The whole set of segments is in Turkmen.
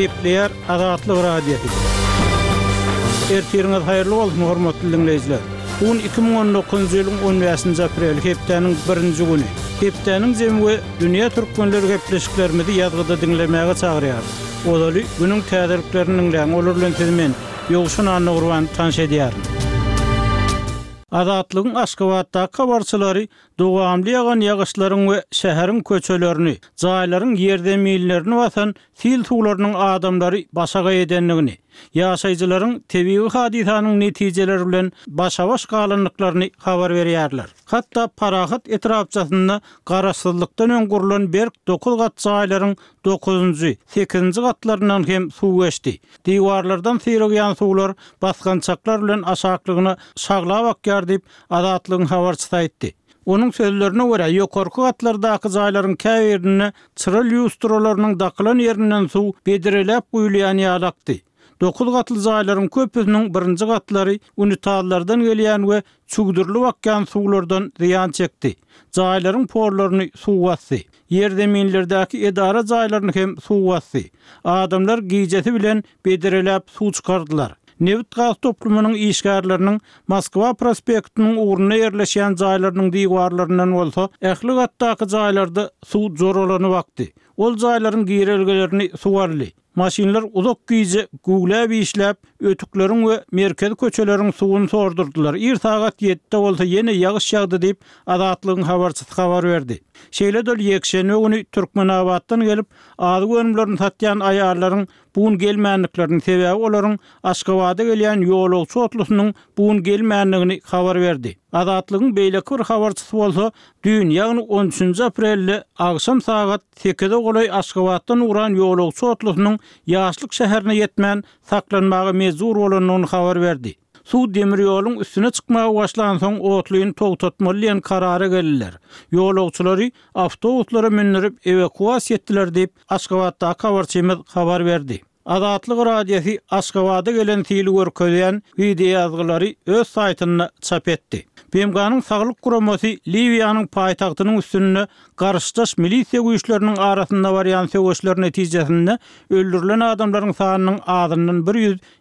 Gepleýär Azatlyk Radiosy. Ertiriňiz haýyrly bolsun, hormatly diňleýjiler! Bu gün 2019-njy ýylyň on bäşinji apreli, hepdäniň birinji güni. Hepdäniň jemi we dünýä türkmenleri gepleşiklerimizi ýazgyda diňlemäge çagyrýarys. Ozaly günüň täzeliklerini diňläň, olar bilen sizi men, Ýowşan Annagurban tanyş edýärin. Azatlygyň Aşgabatdaky habarçylary Dowamly ýagan ýagyşlaryň we şäheriň köçelerini, jaýlaryň ýerzeminlerini basan sil suwlarynyň adamlary başagaý edendigini, ýaşaýjylaryň tebigy hadysanyň netijeleri bilen başa-baş galandyklaryny habar berýärler. Hatda Parahat etrapçasynda garaşsyzlykdan öň gurlan berk dokuz gat jaýlaryň dokuzynjy, sekizinji gatlaryndan hem suw geçdi. Diwarlardan syrygýan suwlar basgançaklar bilen aşaklygyna şaglap akýar diýip, Azatlygyň habarçysy aýtdy. Onuň sözlerine görä, ýokarky gatlardaky jaýlaryň käbirinde çyra lýustralarynyň dakylan ýerinden suw bedreläp guýulýan ýaly akdy. Dokuz gatly jaýlaryň köpüsiniň birinji gatlary unitazlardan gelýän we çüwdürilip akýan suwlardan zyýan çekdi. Jaýlaryň pollaryny suw basdy. Ýerzeminlerdäki edara jaýlaryny hem suw basdy. Adamlar gijesi bilen bedreläp suw çykardylar. Nebit-gaz toplumynyň işgärleriniň Moskwa prospektiniň ugrunda ýerleşýän jaýlarynyň diwarlaryndan bolsa ähli gatdaky jaýlarda suw joralanyp akdy. Ol jaýlaryň girelgelerini suw aldy. Maşynlar uzak gije güwläp işläp, ötükleriň we merkezi köçeleriň suwuny sordurdylar. Ir sagat ýedide bolsa ýene ýagyş ýagdy diýip, Azatlygyň habarçysy habar berdi. Şeýle-de ol ýekşenbe güni Türkmenabatdan gelip, azyk önümlerini satýan aýallaryň bu gün gelmändiklerini, sebäbi olaryň Aşgabada gelýän ýolagçy otlusynyň bu gün gelmändigini habar berdi. Azatlygyň beýleki bir habarçysy bolsa, düýn, ýagny on üçünji aprelde agşam sagat sekize golaý Aşgabatdan ugran ýolagçy otlusynyň Ýaşlyk şäherine ýetmän, saklanmaga mejbur bolandygyny habar berdi. Suw demir ýoluň üstüne çykmaga başlansoň otlyny togtatmaly diýen karara geldiler. Ýolagçylary awtobuslara mündürip ewakuasiýa etdiler diýip, Aşgabatdaky habarçymyz habar berdi. Azatlyk Radiosy Aşgabada gelen sili görkezýän wideoýazgylary öz saýtynda çap etdi. BMG-niň Saglyk guramasy Liwiýanyň paýtagtynyň üstünde garşydaş milisiýa güýçleriniň arasynda barýan söweşler netijesinde öldürilen adamlaryň sanynyň azyndan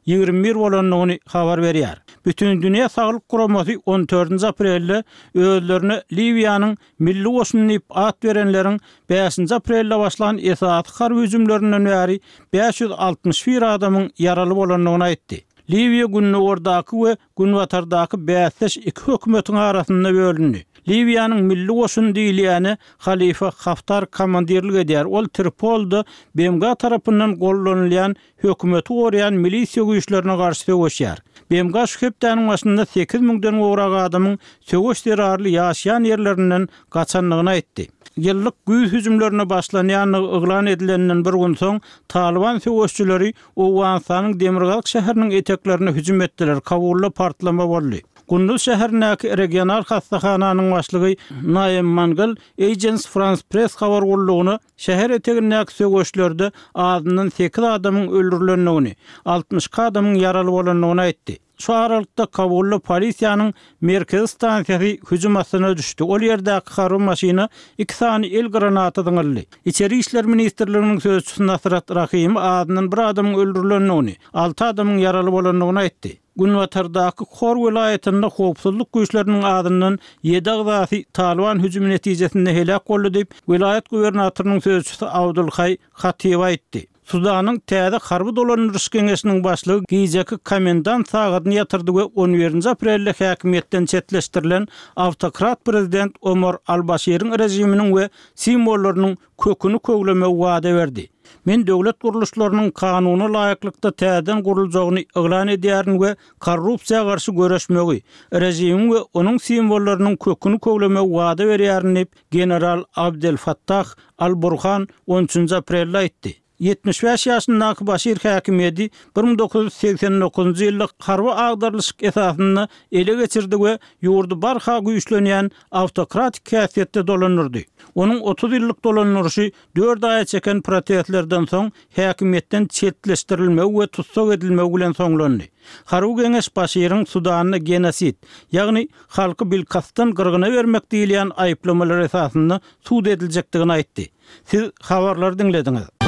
121 bolandygyny habar berýär. Bütindünýä Saglyk Guramasy on dördünji aprelde özlerine Liwiýanyň Milli goşun diýip at berenleriň bäşinji aprelde başlan esasy harby hüjümlerinden bäri 561 adamyň ýaraly bolandygyny aýtdy. Liwiýa gündogardaky we günbatardaky bäsdeş iki hökümetiň arasynda bölündi. Liwiýanyň milli goşuny diýilýäne Halifa Haftar komandirlik edýär, ol Tripolda BMG tarapyndan gollanylýan hökümeti goraýan milisiýa güýçlerine garşy söweşýär. BMG şu hepdäniň başynda sekiz müňden gowrak adamyň söweş zerarly ýaşaýan ýerlerinden gaçandygyny aýtdy. Ýyllyk güýz hüjümlerine başlanýandygy yglan edileninden bir gün soň, Talyban söweşçileri Owganystanyň demirgazyk şäheriniň eteklerine hüjüm etdiler, Kabulda partlama boldy. Kunduz şäherindäki regional hassahananyň başlygy Naem Mangal Agence France-Presse habar gullugyna Şäher etegindäki söweşlerde azyndan sekiz adamyň öldürilendigini, 62 adamyň ýaraly bolandygyny aýtdy. Şu aralykda, Kabulda polisiýanyň merkezi stansiýasy hüjüm astyna düşdi, ol ýerdäki harby maşyna iki sany el granaty zyňyldy. Içeri işler ministrliginiň sözçüsi Nasrat Rahimi azyndan bir adamyň öldürilendigini, alty adamyň ýaraly bolandygyny aýtdy. Günbatardaky Hor welaýatynda howpsuzlyk güýçleriniň azyndan ýedi agzasy Talyban hüjümi netijesinde heläk boldy diýip, welaýat gubernatorynyň sözçüsi Abdulhaý Hatib aýtdy. Sudanyň täze harby dolandyryş geňeşiniň başlygy gijeki komendant sagadyny ýatyrdy we on birinji aprelde häkimiýetden çetleşdirilen awtokrat prezident Omar al-Başiriň režiminiň we simwollarynyň köküni köwlemegi wada berdi. Men döwlet gurluşlarynyň kanuna laýyklykda täzeden guruljagyny yglan edýärin we korrupsiýa garşy göreşmegi, režimiň we onuň simwollarynyň köküni köwlemegi wada berýärin diýip, general Abdel Fattah al-Burhan on üçünji aprelde aýtdy. 75 ýaşyndaky Başir häkimiýeti 1989-njy ýylda harby agdarylyşyk esasynda ele geçirdi we ýurdy barha güýçlenýän awtokratik häsiýetde dolandyrdy. Onuň 30 ýyllyk dolandyryşy dört aýa çeken protestlerden soň häkimiýetden çetleşdirilmegi we tussag edilmegi bilen soňlandy. Harby geňeş Başiriň Sudanda genosid, ýagny halky bilkastdan gyrgyna bermek diýilýän aýyplamalar esasynda sud ediljekdigini aýtdy. Siz habarlary diňlediňiz.